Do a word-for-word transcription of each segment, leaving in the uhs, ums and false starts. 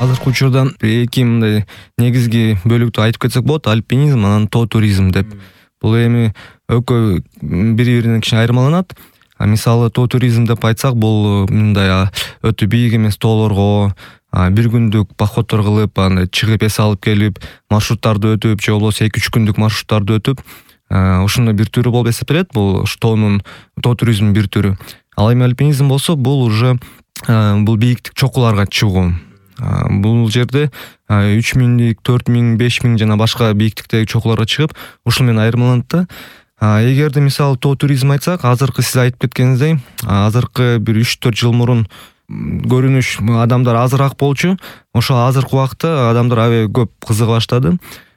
Азыркы учурда эки мындай негизги бөлүктү айтып кетсек болот: альпинизм анан тоо туризм деп. Бул эми экөө бири-биринен кичине айырмаланат. Мисалы тоо туризм деп айтсак, бул мындай өтө бийик эмес тоолорго бир күндүк походдор кылып, андай чыгып эс алып келип, маршруттарды өтүп, же болбосо эки үч күндүк маршруттарды өтүп, ошондой бир түрү болуп эсептелет. Бул тоонун тоо туризмдин бир түрү. Ал эми альпинизм болсо, бул уже бул бийиктик чокуларга чыгуу. Бул жерде үч миңдик, төрт миң, беш миң жана башка бийиктиктеги чокуларга чыгып, ушул менен айырмаланат да. Эгерде мисалы тоо туризм айтсак, азыркы сиз айтып кеткениңиздей, азыркы бир үч төрт жыл мурун көрүнүш адамдар азыраак болчу. Ошол азыркы убакта адамдар аябай көп кызыга баштады.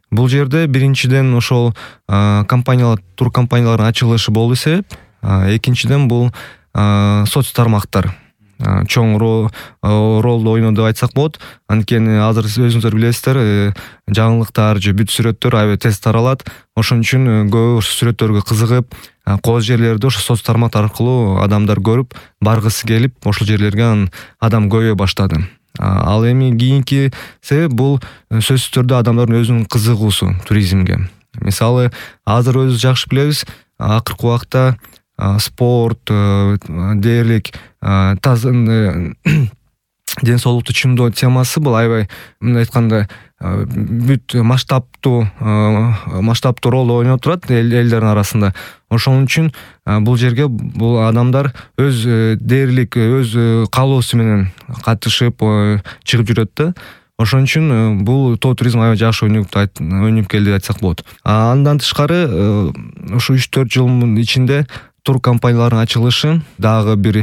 Бул жерде биринчиден ошол компаниялар, тур компаниялардын ачылышы болду себеп. Экинчиден бул соц тармактар чоң ролду ойноду деп айтсак болот. Анткени азыр өзүңүздөр билесиздер, жаңылыктар же бүт сүрөттөр аябай тез таралат. Ошон үчүн көп сүрөттөргө кызыгып, кооз жерлерди ошо соц тармактар аркылуу адамдар көрүп, баргысы келип, ошол жерлерге адам көбөйө баштады. Ал эми кийинки себеп бул сөзсүз түрдө адамдардын өзүнүн кызыгуусу туризмге. Мисалы, азыр өзүбүз жакшы билебиз, акыркы убакта спорт, дээрлик, ден соолукту чыңдоо темасы бул аябай, мындай айтканда, бүт масштабтуу масштабтуу ролду ойноп турат элдердин арасында. Ошон үчүн бул жерге бул адамдар өз дээрлик, өз каалоосу менен катышып, чыгып жүрөт да. Ошон үчүн бул тоо туризм аябай жакшы ойноп келди деп айтсак болот. Андан тышкары, ушу үч төрт жылдын ичинде тур компаниялардын ачылышы дагы бир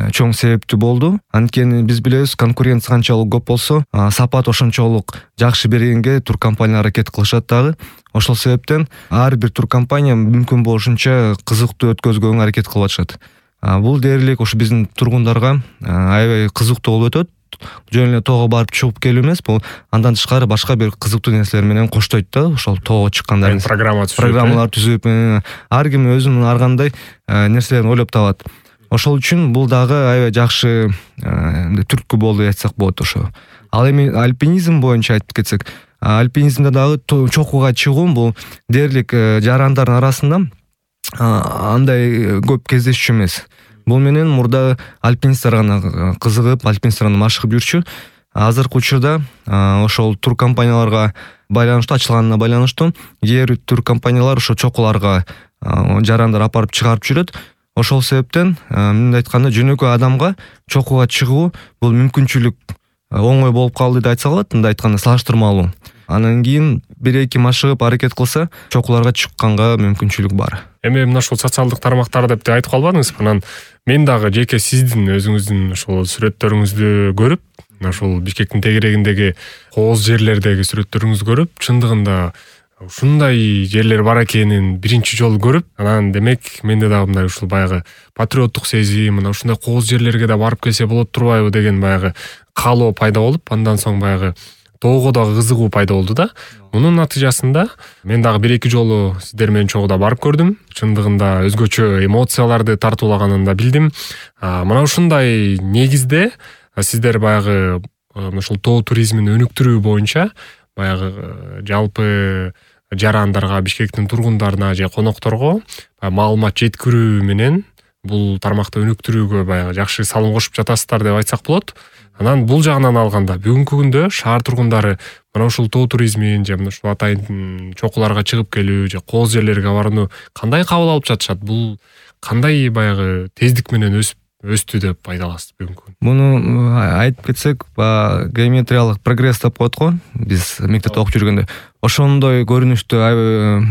чоң себептүү болду. Анткени биз билебиз, конкуренция канчалык көп болсо, сапат ошончолук жакшы бергенге тур компаниялар аракет кылышат дагы. Ошол себептен ар бир тур компания мүмкүн болушунча кызыктуу өткөзгөнгө аракет кылып атышат. Бул дээрлик ушу биздин тургундарга аябай кызыктуу болуп өтөт. Жөн эле тоого барып чыгып келүү эмес, бул андан тышкары башка бир кызыктуу нерселер менен коштойт да. Ошол тоого чыкканда программа түзүп, программалар түзүп, ар ким өзүнүн ар кандай нерселерин ойлоп табат. Ошол үчүн бул дагы аябай жакшы түрткү болду деп айтсак болот ошо. Ал эми альпинизм боюнча айтып кетсек, альпинизмде дагы чокуга чыгуу бул дээрлик жарандардын арасында андай көп кездешчү эмес. Бул менен мурда альпинисттер гана кызыгып, альпинисттер гана машыгып жүрчү. Азыркы учурда ошол тур компанияларга байланыштуу, ачылганына байланыштуу кээ бир тур компаниялар ошо чокуларга жарандар апарып чыгарып жүрөт. Ошол себептен, мындай айтканда, жөнөкөй адамга чокуга чыгуу бул мүмкүнчүлүк оңой болуп калды деп айтсак болот, мындай айтканда салыштырмалуу. Анан кийин бир эки машыгып аракет кылса, чокуларга чыкканга мүмкүнчүлүк бар. Эми мына ушул социалдык тармактар деп айтып калбадыңызбы? Анан мен дагы жеке сиздин өзүңүздүн ошол сүрөттөрүңүздү көрүп, ошол Бишкектин тегерегиндеги кооз жерлердеги сүрөттөрүңүздү көрүп, чындыгында ушундай жерлер бар экенин биринчи жолу көрүп, анан демек менде дагы мындай ушул баягы патриоттук сезим, мына ушундай кооз жерлерге да барып келсе болот турбайбы деген баягы каалоо пайда болуп, андан соң баягы тоого дагы кызыгуу пайда болду да. Мунун натыйжасында мен дагы бир эки жолу сиздер менен чогуу да барып көрдүм. Чындыгында өзгөчө эмоцияларды тартуулаганын да билдим. Мына ушундай негизде сиздер баягы ушул тоо туризмин өнүктүрүү боюнча баягы жалпы жарандарга, Бишкектин тургундарына же конокторго маалымат жеткирүү менен бул тармакты өнүктүрүүгө баягы жакшы салым кошуп жатасыздар деп айтсак болот. Анан бул жагынан алганда бүгүнкү күндө шаар тургундары мына ушул тоо туризмин же мына ушул атайын чокуларга чыгып келүү же кооз жерлерге барууну кандай кабыл алып жатышат? Бул кандай баягы тездик менен өсүп өстү деп айта аласыз бүгүнкү күндө? Муну айтып кетсек, геометриялык прогресс деп коет го, биз мектепте окуп жүргөндө. Ошондой көрүнүштө аябай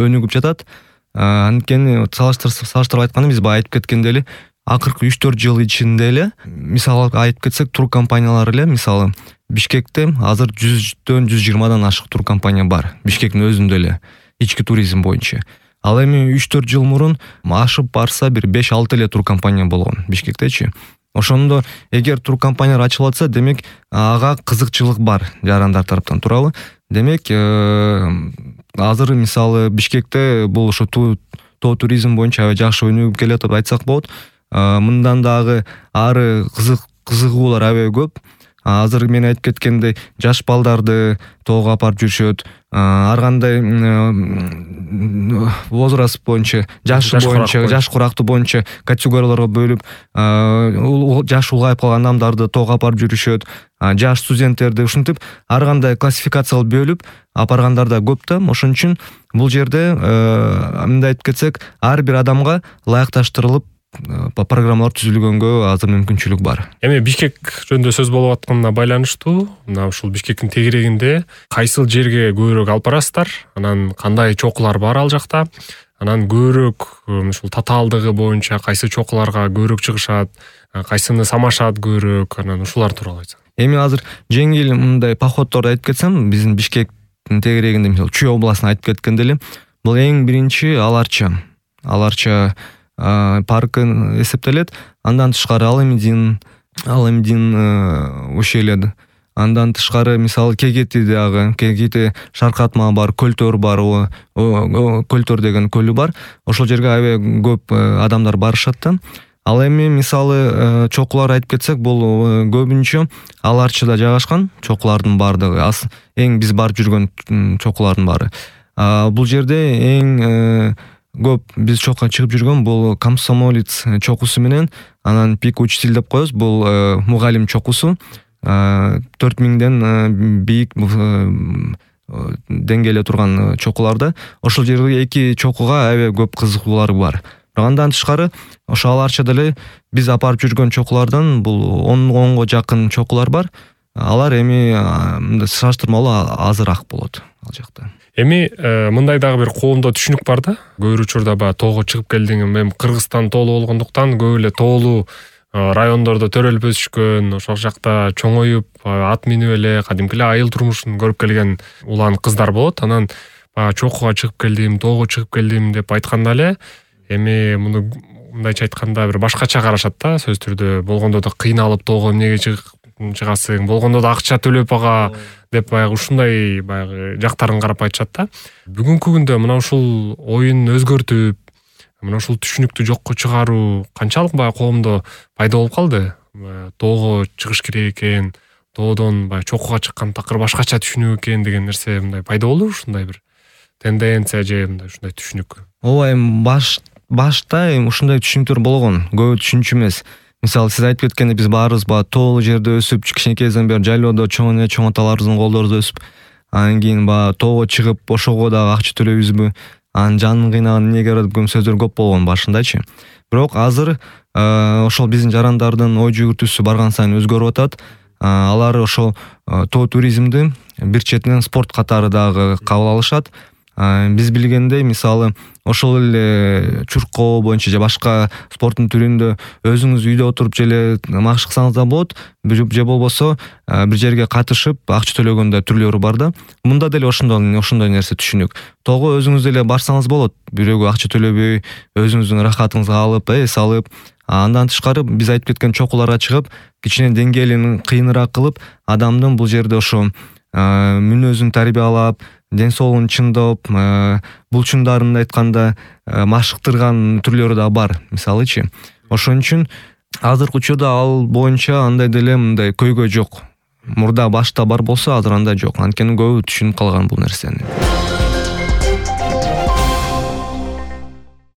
өнүгүп жатат. Анткени салыштырып айтканда, биз баягы айтып кеткендей эле, акыркы үч төрт жыл ичинде эле, мисалы айтып кетсек, тур компаниялар эле, мисалы Бишкекте азыр жүздөн жүз жыйырмадан ашык тур компания бар. Бишкектин өзүндө эле ички туризм боюнча. Ал эми үч төрт жыл мурун ашып барса бир беш алты эле тур компания болгон Бишкектечи. Ошондо эгер тур компаниялар ачылып атса, демек ага кызыкчылык бар жарандар тараптан, туурабы? Демек азыр мисалы Бишкекте бул ошо тоо туризм боюнча аябай жакшы өнүгүп келет деп айтсак болот. Мындан дагы ары кызык кызыгуулар аябай көп. азыр мен айтып кеткендей жаш балдарды тоого апарып жүрүшөт. Ар кандай возраст боюнча, жашы боюнча, жаш курактуу боюнча категорияларга бөлүп, жаш улгайып калган адамдарды тоого апарып жүрүшөт. Жаш студенттерди ушинтип ар кандай классификация кылып бөлүп апаргандар да көп да. Ошон үчүн бул жерде мындай айтып кетсек, ар бир адамга ылайыкташтырылып программалар түзүлгөнгө азыр мүмкүнчүлүк бар. Эми Бишкек жөнүндө сөз болуп атканына байланыштуу, мына ушул Бишкектин тегерегинде кайсыл жерге көбүрөөк алып барасыздар, анан кандай чокулар бар ал жакта, анан көбүрөөк ушул татаалдыгы боюнча кайсы чокуларга көбүрөөк чыгышат, кайсыны самашат көбүрөөк, анан ушулар тууралуу айтсаң. Эми азыр жеңил мындай походторду айтып кетсем, биздин Бишкектин тегерегинде, мисалы, Чүй областын айтып кеткенде эле, бул эң биринчи Аларча. Аларча паркы эсептелет. Андан тышкары Аламедин, Аламедин ущелье. Андан тышкары мисалы Кегети дагы, Кегети Шаркатма бар, Көлтөр бар, Көлтөр деген көлү бар. Ошол жерге аябай көп адамдар барышат да. Ал эми мисалы чокулар айтып кетсек, бул көбүнчө Аларчада жайгашкан чокулардын бардыгы, эң биз барып жүргөн чокулардын баары. Бул жерде эң көп биз чокка чыгып жүргөн бул Комсомолец чокусу менен, анан Пик учитель деп коебуз, бул мугалим чокусу. төрт миңден бийик деңгээлде турган чокуларда. Ошол жерге эки чокуга аябай көп кызыгуулар бар. Андан тышкары ошо Аларчада эле биз апарып жүргөн чокулардан бул онго жакын чокулар бар. Алар эми салыштырмалуу азыраак болот ал жакта. Эми мындай дагы бир коомдо түшүнүк бар да. Көп учурда баягы тоого чыгып келдиң, эми Кыргызстан тоолуу болгондуктан көп эле тоолуу райондордо төрөлүп өсүшкөн, ошол жакта чоңоюп, ат минип эле кадимки эле айыл турмушун көрүп келген улан кыздар болот. Анан баягы чокуга чыгып келдим, тоого чыгып келдим деп айтканда эле, эми муну мындайча айтканда бир башкача карашат да, сөз түрдө. Болгондо да кыйналып тоого эмнеге чыгасың, болгондо да акча төлөп ага деп баягы ушундай баягы жактарын карап айтышат да. Бүгүнкү күндө мына ушул оюн өзгөртүп, мына ушул түшүнүктү жокко чыгаруу канчалык баягы коомдо пайда болуп калды? Тоого чыгыш керек экен, тоодон баягы чокуга чыккан такыр башкача түшүнүк экен деген нерсе мындай пайда болду, ушундай бир тенденция же мындай ушундай түшүнүк. Ооба, эми баш башта эми ушундай түшүнүктөр болгон, көбү түшүнчү эмес. Мисалы, сиз айтып кеткендей, биз баарыбыз баягы тоолуу жерде өсүп, кичинекейден бери жайлоодо чоң эне чоң аталарыбыздын колдорунда өсүп, анан кийин баягы тоого чыгып, ошого дагы акча төлөйбүзбү? Анын жанын кыйнаган эмнеге барат деген сөздөр көп болгон башындачы. Бирок азыр ошол биздин жарандардын ой жүгүртүүсү барган сайын өзгөрүп атат. Алар ошол тоо туризмди бир четинен спорт катары дагы кабыл алышат. Биз билгендей, мисалы, ошол эле чуркоо боюнча же башка спорттун түрүндө өзүңүз үйдө отуруп желе машык кылсаңыз да болот, же болбосо бир жерге катышып акча төлөгөндө түрлөрү бар да. Мында деле ошондой ошондой нерсе түшүнүк. Тоого өзүңүз деле барсаңыз болот, бирөөгө акча төлөбөй, өзүңүздүн рахатыңызга алып, эс алып. Андан тышкары биз айтып кеткен чокуларга чыгып, кичине деңгээлин кыйыныраак кылып, адамдын бул жерде ошо мүнөзүн тарбиялап, ден соолугун чыңдап, булчундарын айтканда машыктырган түрлөрү да бар, мисалычы. Ошон үчүн азыркы учурда ал боюнча андай деле мындай көйгөй жок. Мурда башта бар болсо, азыр андай жок. Анткени көбү түшүнүп калган бул нерсени.